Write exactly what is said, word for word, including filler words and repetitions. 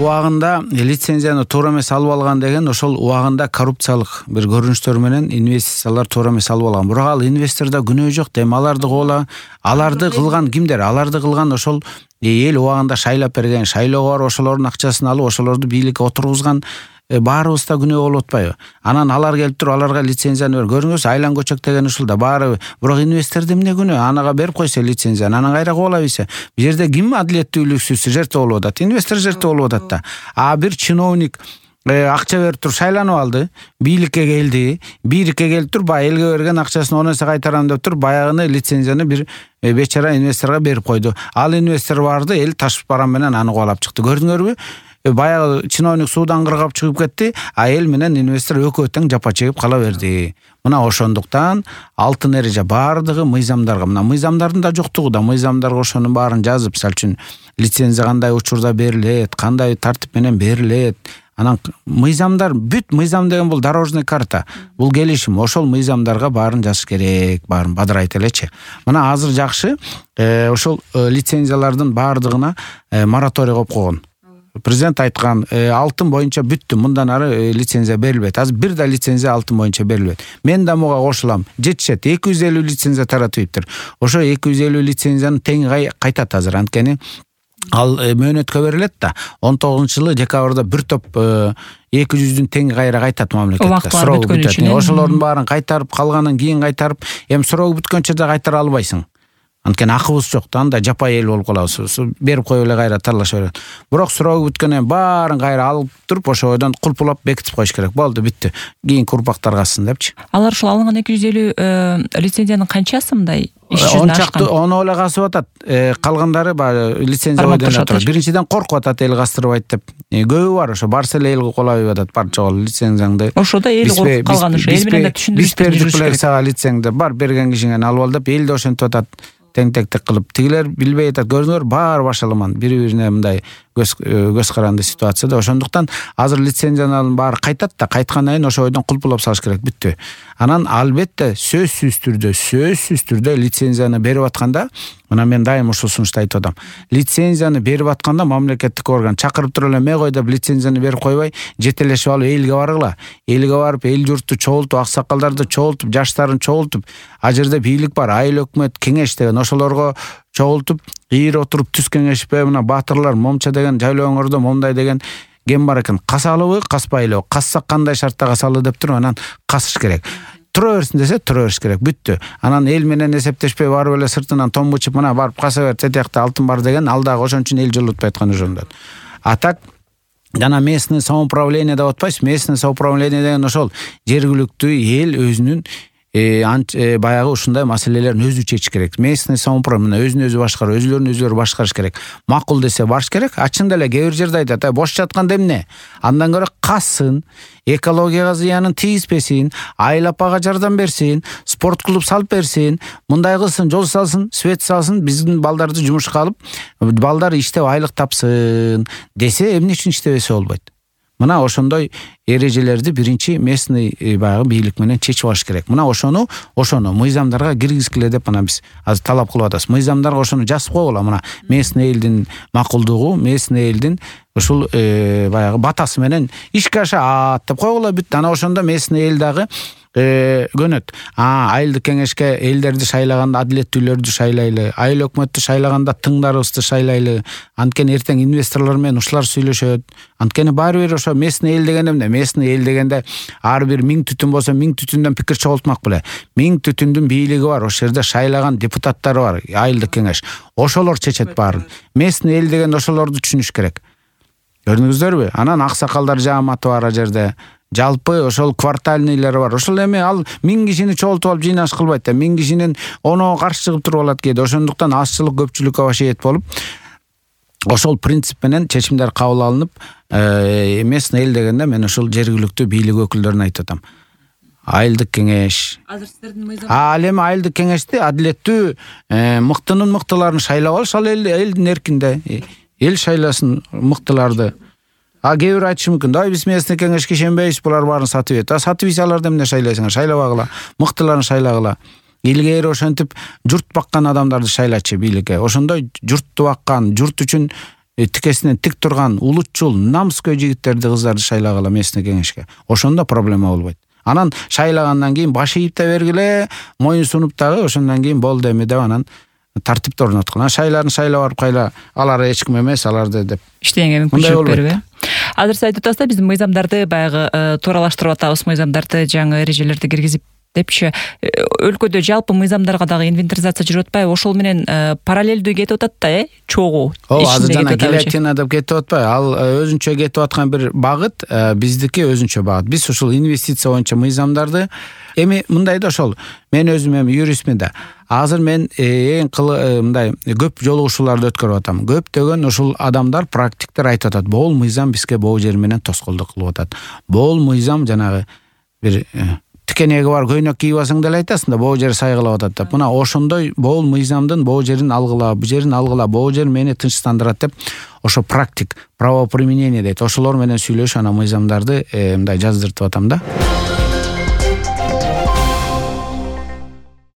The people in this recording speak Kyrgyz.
убагында лицензияны туура эмес алып алган деген ошол убагында коррупциялык бир көрүнүштөр менен инвестициялар туура эмес алып алган. Бирок ал инвестордо күнөө жок дейм. Аларды коола, аларды кылган кимдер? Аларды кылган ошол эл убагында шайлап берген, шайлоого барып ошолордун акчасын алып, ошолорду бийликке отургузган баарыбыз да күнөө болуп атпайбы? Анан алар келип туруп аларга лицензияны бер. Көрүңүз, Айлан көчөк деген ушул да баары. Бирок инвестордо эмне күнөө? Анага берип койсо лицензияны, анан кайра коола бийсе. Бул жерде ким адилеттүүлүксүз жертва болуп атат? Инвестор жертва болуп атат да. А бир чиновник акча берип туруп шайланып алды, бийликке келди, бийликке келип туруп баягы элге берген акчасын он эсе кайтарам деп туруп баягыны лицензияны бир бечара инвесторго берип койду. Ал инвестор барды, эл таш барам менен аны кубалап чыкты. Көрдүңөрбү? Баягы чиновник суудан кыргап чыгып кетти, а эл менен инвестор экөө тең жапа чегип кала берди. Мына ошондуктан алтын эреже баардыгы мыйзамдарга, мына мыйзамдардын да жоктугу да, мыйзамдарга ошонун баарын жазып, мисалы үчүн лицензия кандай учурда берилет, кандай тартип менен берилет. Анан мыйзамдар бүт мыйзам деген бул дорожный карта. Бул келишим, ошол мыйзамдарга баарын жазыш керек, баарын бадырайт элечи. Мына азыр жакшы, ошол лицензиялардын баардыгына мораторий коюп койгон. Президент айткан, алтын боюнча бүттү, мындан ары лицензия берилбейт. Азыр бир да лицензия алтын боюнча берилбейт. Мен да муга кошулам. Жетишет, эки жүз элүү лицензия таратыптыр. Ошо эки жүз элүү лицензияны тең кайтат азыр. Анткени ал мөөнөткө берилет да. он тогузунчу жылы декабрда бир топ эки жүздүн тең кайра кайтат мамлекетке. Суроо бүтөт. Ошолордун баарын кайтарып калганын кийин кайтарып, эми суроо бүткөнчө да кайтара албайсың. Анткени акыбыз жок да, анда жапай эл болуп калабыз. Берип коюп эле кайра таралаша берет. Бирок суроо бүткөндөн баарын кайра алып туруп, ошодон кулпулап бекитип коюш керек. Болду, бүттү. Кийинки урпактар калсын депчи. Алар ушул алынган эки жүз элүү лицензиянын канчасы мындай иш жүзүнө ашкан? Ону эле касып атат. Калгандары баягы лицензия бойдон турат. Биринчиден коркуп атат, эл кастырбайт деп. Көбү бар, ошо барса эле эл колобой атат. Бар жол лицензияңды. Ошодо эл коркуп калган ошо. Эл менен да түшүндүрүш жүрүш керек. Сага лицензияңды бар берген кишиңен алып ал деп эл да ошентип атат. Тең-тектек кылып, тигилер билбей атат. Көрдүңөр, баары башаламан, бири-бирине мындай көз көз каранды ситуацияда. Ошондуктан азыр лицензиянын баары кайтат да, кайткандан кийин ошо ойдон кулпулап салыш керек, бүттү. Анан албетте сөзсүз түрдө, сөзсүз түрдө лицензияны берип атканда, мына мен дайым ушул сунушту айтып атам. Лицензияны берип атканда мамлекеттик орган чакырып туруп эле ме кой деп лицензияны берип койбой, жетелешип алып элге баргыла. Элге барып, эл журтту чогултуп, аксакалдарды чогултуп, жаштарын чогултуп, а жерде бийлик бар, айыл өкмөт кеңеш деген ошолорго чогултуп, ийир отуруп түз кеңешпе, мына баатырлар момча деген жайлооңордо момдай деген кем бар экен. Касалыбы, каспайлыбы, кассак кандай шартта касалы деп туруп анан касыш керек. Тура берсин десе, тура бериш керек, бүттү. Анан эл менен эсептешпей барып эле сыртынан томбучуп, мына барып каса бер, тетиякта алтын бар деген, ал дагы ошон үчүн эл жылытпай аткан ошондон. А так жана местный самоуправление деп атпайсыз? Местный самоуправление деген ошол жергиликтүү эл өзүнүн баягы ушундай маселелерин өзү чечиш керек. Местный самоуправление өзүн өзү башкарып, өзүлөрүн өзүлөрү башкарыш керек. Макул десе барыш керек. Ачында эле кээ бир жерде айтат, бош жатканда эмне? Андан көрө кассын, экологияга зыянын тийгизбесин, айыл апага жардам берсин, спорт клуб салып берсин, мындай кылсын, жол салсын, свет салсын, биздин балдарды жумушка алып, балдар иштеп айлык тапсын десе, эмне үчүн иштебесе болбойт? Мына ошондой эрежелерди биринчи местный баягы бийлик менен чечип алыш керек. Мына ошону, ошону мыйзамдарга киргизгиле деп мына биз азыр талап кылып атабыз. Мыйзамдарга ошону жазып койгула. Мына местный элдин макулдугу, местный элдин ушул баягы батасы менен ишке ашат деп койгула, бүт. Ана ошондо местный эл дагы көнөт. А айылдык кеңешке элдерди шайлаганда адилеттүүлөрдү шайлайлы, айыл өкмөттү шайлаганда тыңдарыбызды шайлайлы. Анткени эртең инвесторлор менен ушулар сүйлөшөт. Анткени баары бир ошо местный эл деген эмне? Местный эл дегенде ар бир миң түтүн болсо, миң түтүндөн пикир чогултмак беле. Миң түтүндүн бийлиги бар, ошол жерде шайлаган депутаттары бар, айылдык кеңеш. Ошолор чечет баарын. Местный эл деген ошолорду түшүнүш керек. Көрдүңүздөрбү? Анан аксакалдар жааматы бар а жерде. Жалпы ошол квартальныйлар бар. Ошол эми ал миң кишини чогултуп алып жыйнаш кылбайт да. Миң кишинин оноо каршы чыгып туруп алат кээде. Ошондуктан азчылык көпчүлүккө башыйет болуп, ошол принцип менен чечимдер кабыл алынып, местный эл дегенде мен ошол жергиликтүү бийлик өкүлдөрүн айтып атам. Айылдык кеңеш. Азыр сиздердин мыйзам. Ал эми айылдык кеңешти адилеттүү мыктынын мыктыларын шайлап алыш, ал элдин эркинде. Эл шайласын мыктыларды. А кээ бир айтышы мүмкүн. Да биз местный кеңешке ишенбейбиз, булар баарын сатып ийет. А сатып ийсе аларды эмне шайлайсыңар? Шайлабагыла, мыктыларын шайлагыла. Илгери ошентип журт баккан адамдарды шайлачы бийликке. Ошондой журтту баккан, журт үчүн тикесинен тик турган улутчул намыскөй жигиттерди кыздарды шайлагыла местный кеңешке. Ошондо проблема болбойт. Анан шайлагандан кийин баш ийип да бергиле, моюн сунуп дагы ошондон кийин болду эми деп анан тартипти орноткон. Шайларын шайлап барып кайла алар эч ким эмес, аларды деп иштегенге мүмкүнчүлүк берип. Азыр сиз айтып атасыздар, биз мыйзамдарды баягы тууралаштырып атабыз, мыйзамдарды жаңы эрежелерди киргизип депчи. Өлкөдө жалпы мыйзамдарга дагы инвентаризация жүрүп атпайбы? Ошол менен параллелдүү кетип атат да, э? Чогуу. Ооба, азыр жана гильотина деп кетип атпайбы? Ал өзүнчө кетип аткан бир багыт, биздики өзүнчө багыт. Биз ушул инвестиция боюнча мыйзамдарды эми мындай да, ошол мен өзүм эми юристмин да. Азыр мен эң мындай көп жолугушууларды өткөрүп атам. Көптөгөн ушул адамдар, практиктер айтып атат, бул мыйзам бизге бул жер менен тоскоолдук кылып атат. Бул мыйзам жанагы бир тикенеги бар көйнөк кийип алсаң деле айтасың да, бул жер сайгылап атат деп. Мына ошондой бул мыйзамдын бул жерин алгыла, бу жерин алгыла, бул жер мени тынчтандырат деп ошо практик правоприменение дейт. Ошолор менен сүйлөшүп анан мыйзамдарды мындай жаздыртып атам да.